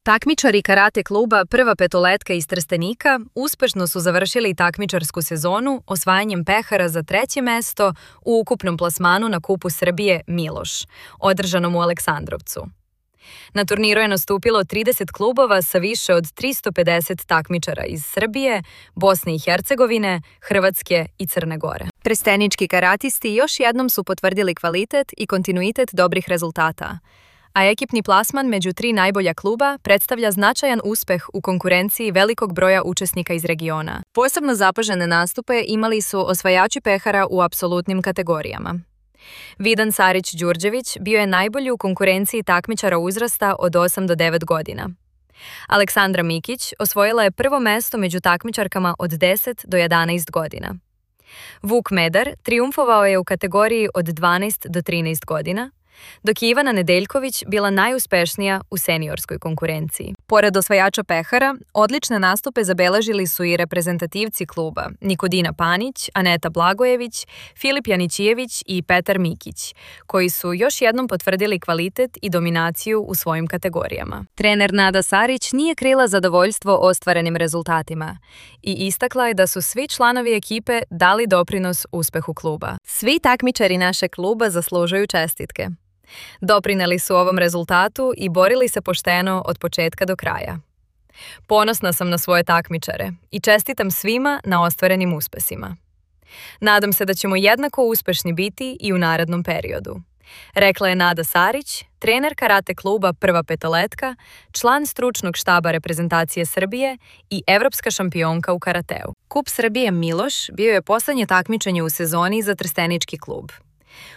Takmičari karate kluba Prva petoletka iz Trstenika uspešno su završili takmičarsku sezonu osvajanjem pehara za 3. mesto u ukupnom plasmanu na Kupu Srbije Miloš, održanom u Aleksandrovcu. Na turniru je nastupilo 30 klubova sa više od 350 takmičara iz Srbije, Bosne i Hercegovine, Hrvatske i Crne Gore. Trstenički karatisti još jednom su potvrdili kvalitet i kontinuitet dobrih rezultata, a ekipni plasman među 3 najbolja kluba predstavlja značajan uspeh u konkurenciji velikog broja učesnika iz regiona. Posebno zapažene nastupe imali su osvajači pehara u apsolutnim kategorijama. Vidan Sarić-Đurđević bio je najbolji u konkurenciji takmičara uzrasta od 8 do 9 godina. Aleksandra Mikić osvojila je prvo mesto među takmičarkama od 10 do 11 godina. Vuk Medar triumfovao je u kategoriji od 12 do 13 godina, dok je Ivana Nedeljković bila najuspešnija u seniorskoj konkurenciji. Pored osvajača pehara, odlične nastupe zabeležili su i reprezentativci kluba Nikodina Panić, Aneta Blagojević, Filip Janićijević i Petar Mikić, koji su još jednom potvrdili kvalitet i dominaciju u svojim kategorijama. Trener Nada Sarić nije krila zadovoljstvo ostvarenim rezultatima i istakla je da su svi članovi ekipe dali doprinos uspehu kluba. Svi takmičari našeg kluba zaslužuju čestitke. Doprineli su ovom rezultatu i borili se pošteno od početka do kraja. Ponosna sam na svoje takmičare i čestitam svima na ostvarenim uspesima. Nadam se da ćemo jednako uspešni biti i u narednom periodu, rekla je Nada Sarić, trener karate kluba Prva petoletka, član stručnog štaba reprezentacije Srbije i evropska šampionka u karateu. Kup Srbije Miloš bio je poslednje takmičenje u sezoni za trstenički klub.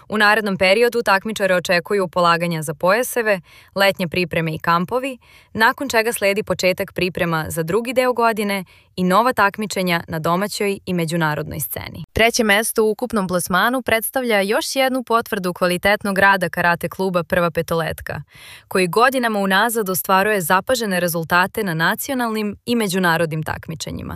U narednom periodu takmičare očekuju polaganja za pojaseve, letnje pripreme i kampovi, nakon čega sledi početak priprema za drugi deo godine i nova takmičenja na domaćoj i međunarodnoj sceni. 3. mesto u ukupnom plasmanu predstavlja još jednu potvrdu kvalitetnog rada karate kluba Prva petoletka, koji godinama unazad ostvaruje zapažene rezultate na nacionalnim i međunarodnim takmičenjima.